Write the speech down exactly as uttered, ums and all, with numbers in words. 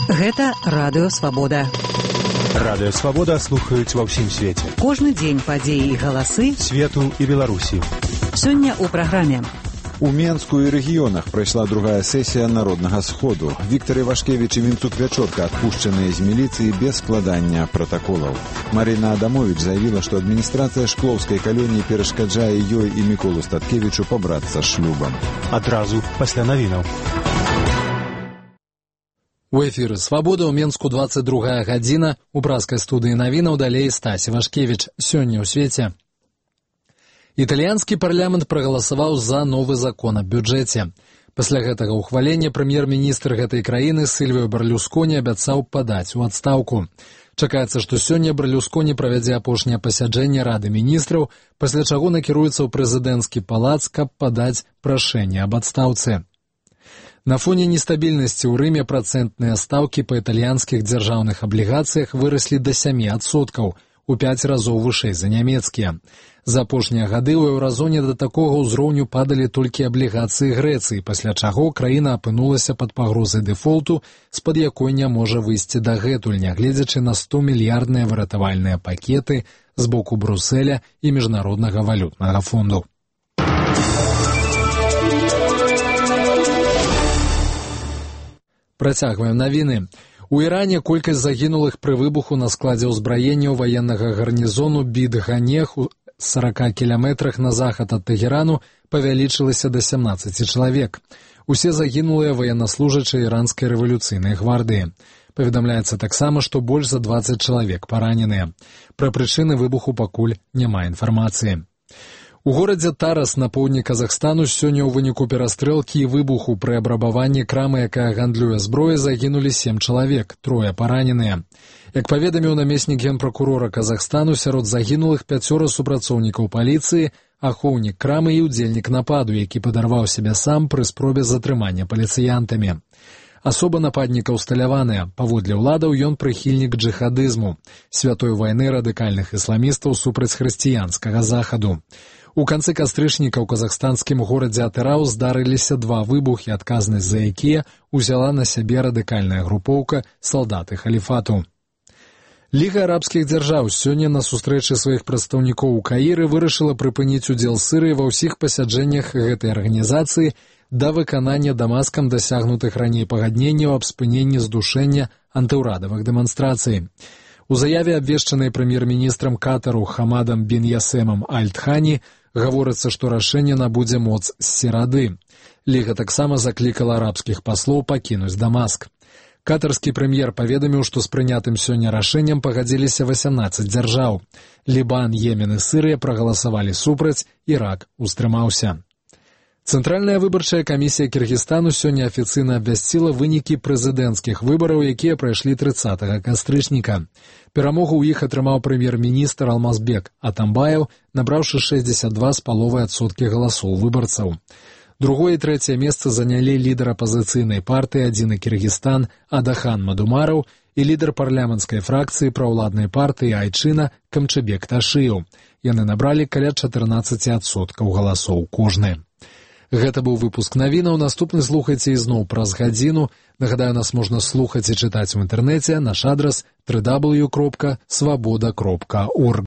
Гэта Радыё Свабода. Радыё Свабода слухаюць ва ўсім свеце. Кожны дзень падзеі і галасы свету і Беларусі. Сёння ў праграме. У Менску і рэгіёнах прайшла другая сесія Народнага сходу. Віктор Івашкевіч і Вінтук Вячорка адпушчаныя з міліцыі без складання пратаколаў. Марина Адамович заявіла, што адміністрацыя Шклоўскай калоніі перашкаджае ёй і Міколу Статкевічу пабрацца шлюбам. Адразу пасля навінаў. У эфіры «Свабода» ў Менску двадцать другая гадзіна. У празкай студыі навінаў далей Стась Івашкевіч. Сёння ў свеце. Італьянскі парламент прагаласаваў за новы закон аб бюджэце. Пасля гэтага ўхвалення прэм'ер-міністр гэтай краіны Сільвіо Берлюсконі абяцаў падаць у адстаўку. Чакаецца, што сёння Берлюсконі правядзе апошняе пасяджэнне Рады міністраў, пасля чаго накіруецца ў прэзідэнцкі палац, каб падаць прашэнне аб адстаўцы. На фоне нестабільнасці ў Рыме працэнтныя стаўкі па італьянскіх дзяржаўных аблігацыях выраслі да сямі адсоткаў, у пяць разоў вышэй за нямецкія. За апошнія гады ў еўразоне да такога ўзроўню падалі толькі аблігацыі Грэцыі, пасля чаго краіна апынулася пад пагрозай дэфолту, з-пад якой не можа выйсці дагэтуль, нягледзячы на сто мільярдныя выратавальныя пакеты з боку Брюсселя і Міжнароднага валютнага фонду. Працягваем навіны. У Іране колькасць загінулых пры выбуху на складзе ўзбраення ваеннага гарнізону Бид-Ганех у сорока кіламетрах на захад ад Тэгерану павялічылася да сямнаццаці чалавек. Усе загінулыя ваеннаслужачыя іранскай рэвалюцыйнай гвардыі. Паведамляецца таксама, што больш за дваццаць чалавек параненыя. Пра прычыны выбуху пакуль няма інфармацыі. У горадзе Тарас на поўдні Казахстану сёння ў выніку перастрэлкі і выбуху пры абрабаванні крамы, якая гандлюе зброяй, загінулі сем чалавек, трое параненыя. Як паведаміў намеснік генпракурора Казахстану, сярод загінулых пяцёра супрацоўнікаў паліцыі, ахоўнік крамы і ўдзельнік нападу, які падарваў сябе сам пры спробе затрымання паліцыянтамі. Асоба нападніка ўсталяваная. Паводле ўладаў ён прыхільнік джыхадызму, святой вайны радыкальных ісламістаў супраць хрысціянскага захаду. У канцы кастрычніка ў казахстанскім горадзе Атырау здарыліся два выбухі, адказнасць за якія ўзяла на сябе радыкальная групоўка салдаты халіфату. Ліга арабскіх дзяржаў сёння на сустрэчы сваіх прадстаўнікоў у Каіры вырашыла прыпыніць удзел Сірыі ва ўсіх пасяджэннях гэтай арганізацыі да выканання Дамаскам дасягнутых раней пагадненняў аб спыненні здушэння антыўрадавых дэманстрацый. У заяве, абвешчанай прэм'ер-міністрам Катару Хамадам бін Ясемам Аль-Тхані, гаворыцца, што рашэнне набудзе моц з серады. Ліга таксама заклікала арабскіх паслоў пакінуць Дамаск. Катарскі прэм'ер паведаміў, што з прынятым сёння рашэннем пагадзіліся васямнаццаць дзяржаў. Лібан, Йемен і Сірыя прагаласавалі супраць, Ірак устрымаўся. Цэнтральная выбарчая камісія Кіргізстану сёння афіцыйна абвясціла вынікі прэзідэнцкіх выбараў, якія прайшлі трыццатага кастрычніка. Перамогу ў іх атрымаў прэм'ер-міністр Алмазбек Атамбаев, набраўшы шэсцьдзесят два з паловай адсоткі галасоў выбарцаў. Другое і трэцяе месца занялі лідар апазіцыйнай партыі «Адзіны Кіргізстан» Адахан Мадумараў і лідар парламенцкай фракцыі праўладнай партыі Айчына Камчыбек Ташыеў. Яны набралі каля чатырнаццаці адсоткаў галасоў кожны. Гэта быў выпуск навінаў. Наступны слухайце ізноў праз гадзіну. Нагадаю, нас можна слухаць і чытаць у інтэрнэце. Наш адрас дабл ю дабл ю дабл ю кропка свабода кропка орг.